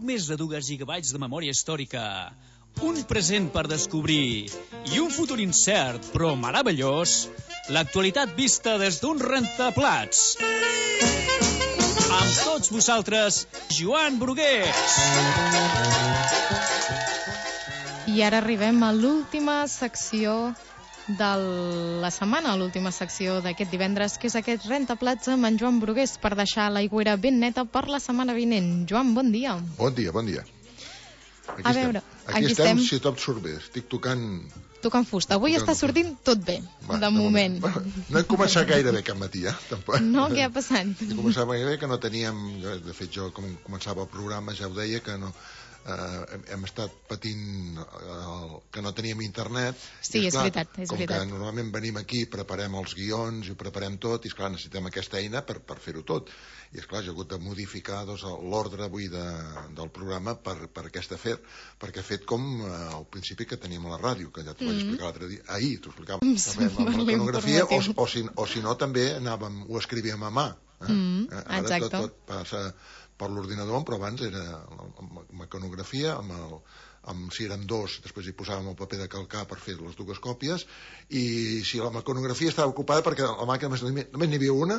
més de 2 gigabytes de memòria històrica, un present per descobrir i un futur incert però meravellós, l'actualitat vista des d'un rentaplats. Amb tots vosaltres, Joan Brugués. I ara arribem a l'última secció de la setmana, l'última secció d'aquest divendres, que és aquest rentaplats amb en Joan Brugués, per deixar l'aigüera ben neta per la setmana vinent. Joan, bon dia. Bon dia, bon dia. Aquí estem, si tot surt bé. Estic tocant fusta. Avui està sortint tot bé, de moment. No hem començat gaire bé aquest matí, tampoc. No, què ha passat? Començava gaire bé, que no teníem... De fet, jo, com començava el programa, ja ho deia, que no... hem estat patint que no teníem internet. Sí, és veritat. Com que normalment venim aquí, preparem els guions i ho preparem tot, i esclar, necessitem aquesta eina per fer-ho tot. I esclar, jo he hagut de modificar l'ordre avui del programa per aquest afer, perquè ha fet com al principi que teníem a la ràdio, que ja t'ho vaig explicar l'altre dia. Ahir t'ho explicava. Amb la iconografia, o si no també ho escrivíem a mà. Ara tot passa per l'ordinador, però abans era la mecanografia, si érem 2, després hi posàvem el paper de calcar per fer les 2 còpies, i si la mecanografia estava ocupada perquè la màquina només n'hi havia una,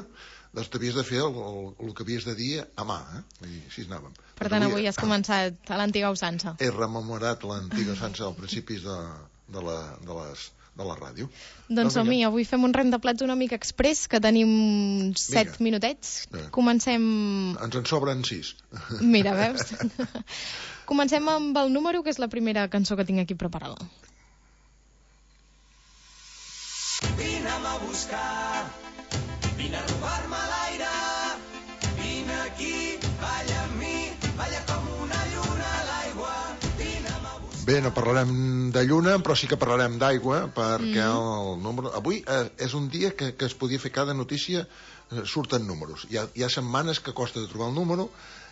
doncs t'havies de fer el que havies de dir a mà, i així anàvem. Per tant, avui has començat a l'antiga usança. He rememorat l'antiga usança als principis de la ràdio. Doncs som-hi, avui fem un rentaplats una mica express, que tenim 7 minutets. Comencem... Ens en sobren 6. Mira, veus? Comencem amb el número, que és la primera cançó que tinc aquí preparada. Vine-me a buscar, vine a robar-me l'aire, vine aquí, balla amb mi, balla com una lluna a l'aigua. Bé, no parlarem de lluna, però sí que parlarem d'aigua, perquè el número... Avui és un dia que es podia fer cada notícia, surten números. Hi ha setmanes que costa de trobar el número,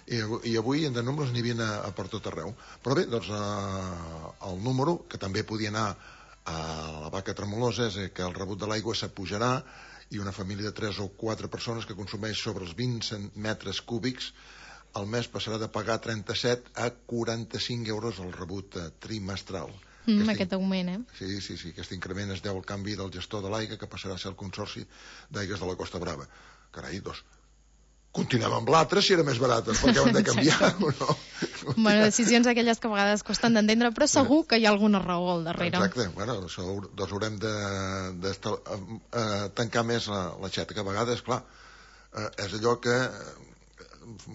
i avui de números n'hi havia a per tot arreu. Però bé, doncs el número, que també podia anar a la vaca tremolosa, és que el rebut de l'aigua s'apujarà, i una família de 3 o 4 persones que consumeix sobre els 20 metres cúbics el mes passarà de pagar 37 a 45 euros el rebut trimestral. Aquest augment, Sí, aquest increment es deu al canvi del gestor de l'aigua, que passarà a ser el Consorci d'Aigües de la Costa Brava. Carai, doncs, continuem amb l'altre si era més barat, perquè ho hem de canviar, o no? Bueno, decisions aquelles que a vegades costen d'entendre, però segur que hi ha alguna raó al darrere. Exacte, bueno, doncs haurem de tancar més l'aixeta, que a vegades, clar, és allò que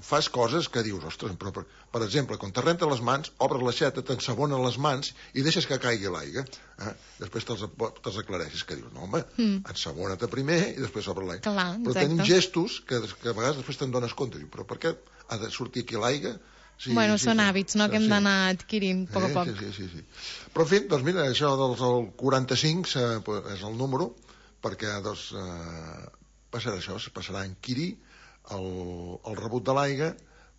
fas coses que dius, ostres, però per exemple, quan te renta les mans, obres l'aixeta, t'ensabonen les mans i deixes que caigui l'aigua. Després te'ls aclareixes, que dius, no, home, ensabona-te primer i després obre l'aigua. Però tenim gestos que a vegades després te'n dones compte, però per què ha de sortir aquí l'aigua? Bueno, són hàbits, no?, que hem d'anar adquirint a poc a poc. Sí. Però, en fi, doncs mira, això del 45 és el número, perquè passarà això, es passarà a enquirir el rebut de l'aigua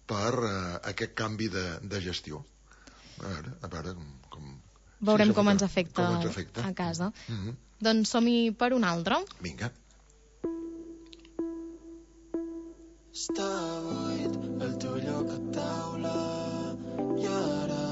per aquest canvi de gestió. A veure com... Veurem com ens afecta a casa. Doncs som-hi per un altre. Vinga. Està buit el teu lloc a taula, i ara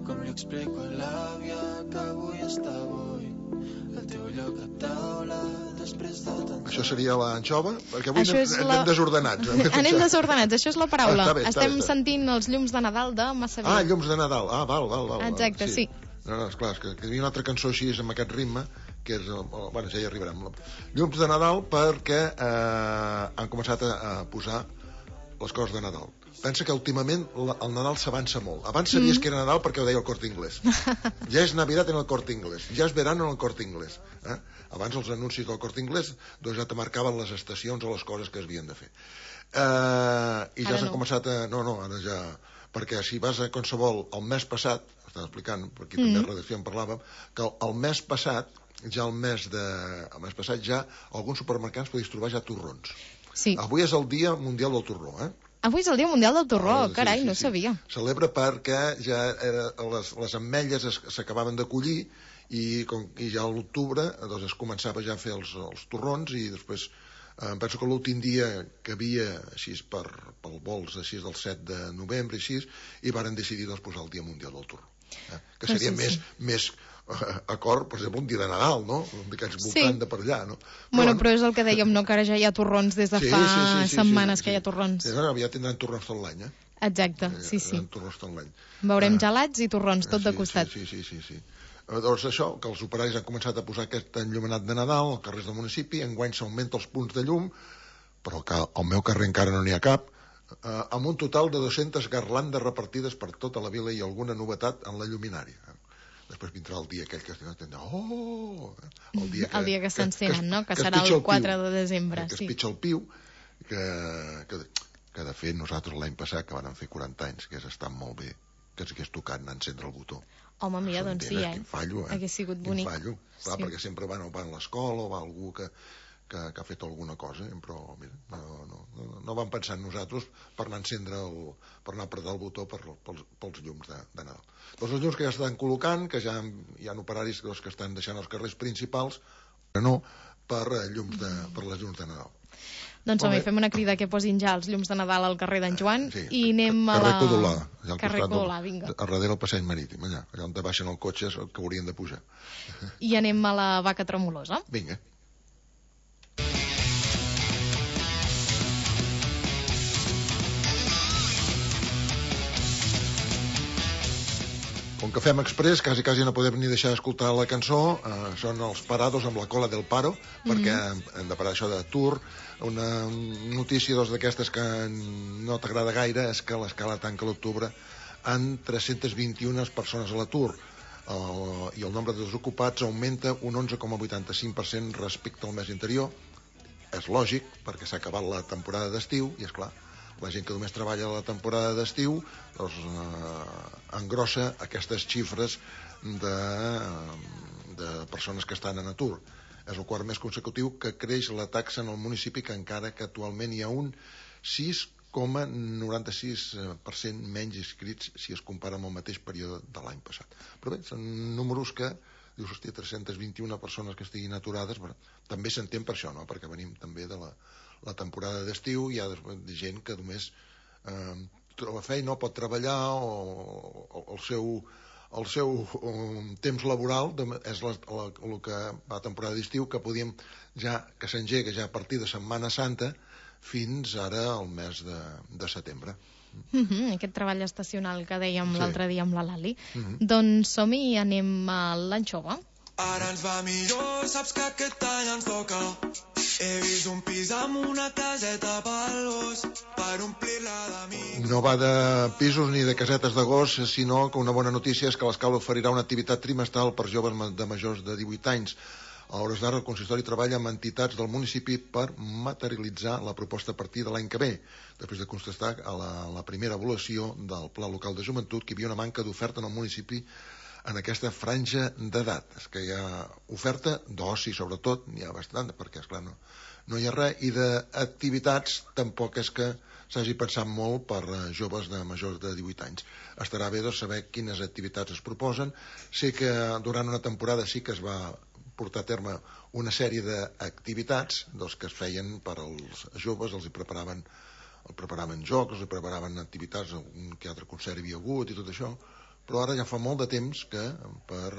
com li explico a l'àvia que avui està buit el teu lloc a taula després de tant... Això seria l'anxova? Perquè avui anem desordenats. Anem desordenats, això és la paraula. Estem sentint els llums de Nadal de Massavià. Llums de Nadal, val. Exacte, sí. No, esclar, és que hi havia una altra cançó així amb aquest ritme, que és... Bueno, ja hi arribarem. Llums de Nadal perquè han començat a posar les coses de Nadal. Pensa que últimament el Nadal s'avança molt. Abans sabies que era Nadal perquè ho deia el Corte Inglés. Ja és Navidad en el Corte Inglés, ja és verano en el Corte Inglés. Abans els anuncis del Corte Inglés doncs ja te marcaven les estacions o les coses que es havien de fer. I ja s'han començat a... No, ara ja... Perquè si vas a qualsevol el mes passat, estan explicant, per aquí també a redacció en parlàvem, que el mes passat, el mes passat ja alguns supermercats podies trobar ja torrons. Sí. Avui és el Dia Mundial del Torró, Avui és el Dia Mundial del Torró, carai, no sabia. Celebra perquè ja les ametlles s'acabaven de collir i ja a l'octubre doncs es començava ja a fer els torrons i després Penso que l'últim dia que havia, així pel vols així del 7 de novembre, així, i varen decidir doncs, posar el Dia Mundial del Torró. Que seria més acord, per exemple, un dia de Nadal, no? D'aquests voltant de per allà, no? Però és el que dèiem, no? Que ara ja hi ha torrons des de fa setmanes que hi ha torrons. Sí, ja tindran torrons tot l'any, Exacte, sí. Torrons tot l'any. Veurem gelats i torrons, tot de costat. Sí. Doncs això, que els operaris han començat a posar aquest enllumenat de Nadal als carrers del municipi, enguany s'augmenta els punts de llum, però que al meu carrer encara no n'hi ha cap, amb un total de 200 garlandes repartides per tota la vila i alguna novetat en la lluminària. Després vindrà el dia aquell que es dirà, el dia que s'encenen, no? Que serà el 4 de desembre. Que es pitja el piu, que de fet nosaltres l'any passat, que vam fer 40 anys, que hagués estat molt bé, que ens hagués tocat anar a encendre el botó. Home, mira, doncs sí, Quin fallo, Hagués sigut bonic. Quin fallo. Clar, perquè sempre va a l'escola o va algú que ha fet alguna cosa, però mira, no vam pensar en nosaltres per anar a encendre per anar a apretar el botó pels llums de Nadal. Doncs els llums que ja estan col·locant, que ja hi ha operaris que estan deixant els carrers principals, però no per les llums de Nadal. Doncs home, fem una crida que posin ja els llums de Nadal al carrer d'en Joan i anem a la... Carrer Codolà, vinga. A darrere el passeig marítim, allà on baixen el cotxe és el que haurien de pujar. I anem a la Vaca Tremolosa. Vinga. Com que fem express, quasi no podem ni deixar d'escoltar la cançó. Són els Parados amb la cola del paro, perquè hem de parar això de Tour. Una notícia d'aquestes que no t'agrada gaire és que l'escala tanca a l'octubre amb 321 persones a l'atur i el nombre de desocupats augmenta un 11,85% respecte al mes anterior. És lògic, perquè s'ha acabat la temporada d'estiu i, esclar, la gent que només treballa a la temporada d'estiu doncs, engrossa aquestes xifres de persones que estan en atur. És el quart mes consecutiu que creix la taxa en el municipi, que encara que actualment hi ha un 6,96% menys inscrits si es compara amb el mateix període de l'any passat. Però bé, són números que dius, hòstia, 321 persones que estiguin aturades, però també s'entén per això, no? Perquè venim també de la temporada d'estiu, hi ha gent que només troba feina o pot treballar o el seu temps laboral és el que va a temporada d'estiu, que podíem que s'engega ja a partir de Setmana Santa fins ara al mes de setembre. Aquest treball estacional que dèiem l'altre dia amb la Lali. Doncs som-hi i anem a l'anxova. Ara ens va millor, saps que aquest any ens toca. He vist un pis amb una caseta pel gos per omplir-la d'amics. No va de pisos ni de casetes de gos, sinó que una bona notícia és que l'Escala oferirà una activitat trimestral per joves de majors de 18 anys. A hores d'ara el consistori treballa amb entitats del municipi per materialitzar la proposta a partir de l'any que ve, després de constatar a la primera avaluació del Pla Local de Joventut que hi havia una manca d'oferta en el municipi en aquesta franja d'edat. És que hi ha oferta d'oci, sobretot, n'hi ha bastant, perquè, esclar, no hi ha res, i d'activitats tampoc és que s'hagi pensat molt per joves de majors de 18 anys. Estarà bé saber quines activitats es proposen. Sé que durant una temporada sí que es va portar a terme una sèrie d'activitats que es feien per als joves, els preparaven jocs, els preparaven activitats, un que altre concert hi havia hagut i tot això, però ara ja fa molt de temps que per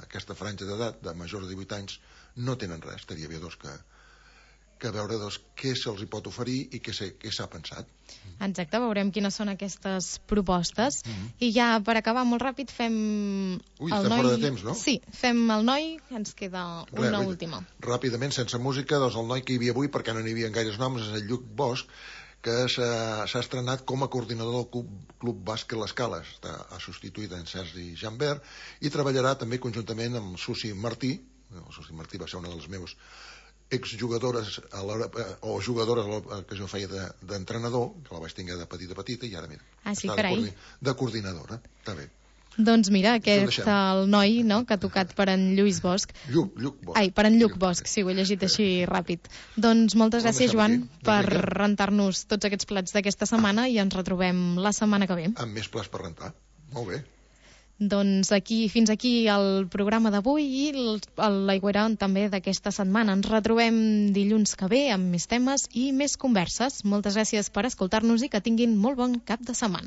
aquesta franja d'edat de majors de 18 anys no tenen res. Estaria bé que veure què se'ls pot oferir i què s'ha pensat. Exacte, veurem quines són aquestes propostes. I ja per acabar molt ràpid fem estem fora de temps, no? Sí, fem el noi, ens queda una última. Ràpidament, sense música, el noi que hi havia avui, perquè no n'hi havia gaires noms, és el Lluc Bosch, que s'ha estrenat com a coordinador del Club Bàsquet l'Escala. Ha substituït en Sergi Jambert i treballarà també conjuntament amb Susi Martí. Susi Martí va ser una de les meves exjugadores o jugadores que jo feia d'entrenador, que la vaig tenir de petita i ara mira, està de coordinadora. Està bé. Doncs mira, aquest el noi, no?, que ha tocat per en Lluís Bosch. Lluc Bosch. Ai, per en Lluc Bosch, sí, ho he llegit així ràpid. Doncs moltes gràcies, Joan, per rentar-nos tots aquests plats d'aquesta setmana i ens retrobem la setmana que ve. Amb més plats per rentar. Molt bé. Doncs fins aquí el programa d'avui i l'Aigüera també d'aquesta setmana. Ens retrobem dilluns que ve amb més temes i més converses. Moltes gràcies per escoltar-nos i que tinguin molt bon cap de setmana.